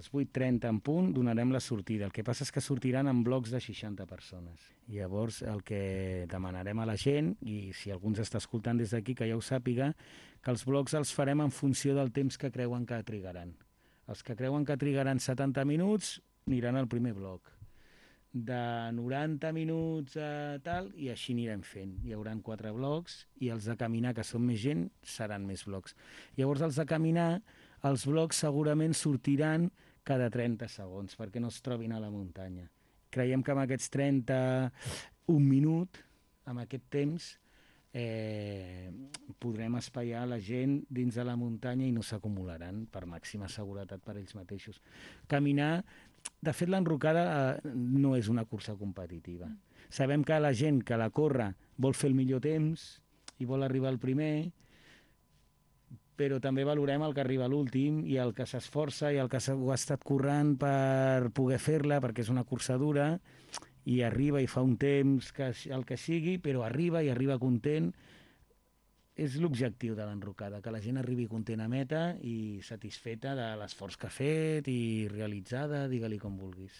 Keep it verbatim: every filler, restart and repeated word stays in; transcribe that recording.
les vuit trenta en punt donarem la sortida. El que passa és que sortiran en blocs de seixanta persones. Llavors, el que demanarem a la gent, i si algú ens està escoltant des d'aquí, que ja ho sàpiga, que els blocs els farem en funció del temps que creuen que trigaran. Els que creuen que trigaran setanta minuts aniran al primer bloc. De noranta minuts a tal, i així anirem fent. Hi haurà quatre blocs, i els de caminar, que són més gent, seran més blocs. Llavors, els de caminar, els blocs segurament sortiran cada trenta segons, perquè no es trobin a la muntanya. Creiem que amb aquests trenta, un minut, amb aquest temps, eh, podrem espaiar la gent dins de la muntanya i no s'acumularan, per màxima seguretat per ells mateixos. Caminar, de fet l'enrocada eh, no és una cursa competitiva. Sabem que la gent que la corre vol fer el millor temps i vol arribar al primer, però també valorem el que arriba a l'últim i el que s'esforça i el que ho ha estat currant per poder fer-la, perquè és una cursa dura, i arriba i fa un temps, que el que sigui, però arriba i arriba content. És l'objectiu de l'enrocada, que la gent arribi content a meta i satisfeta de l'esforç que ha fet i realitzada, digue-li com vulguis.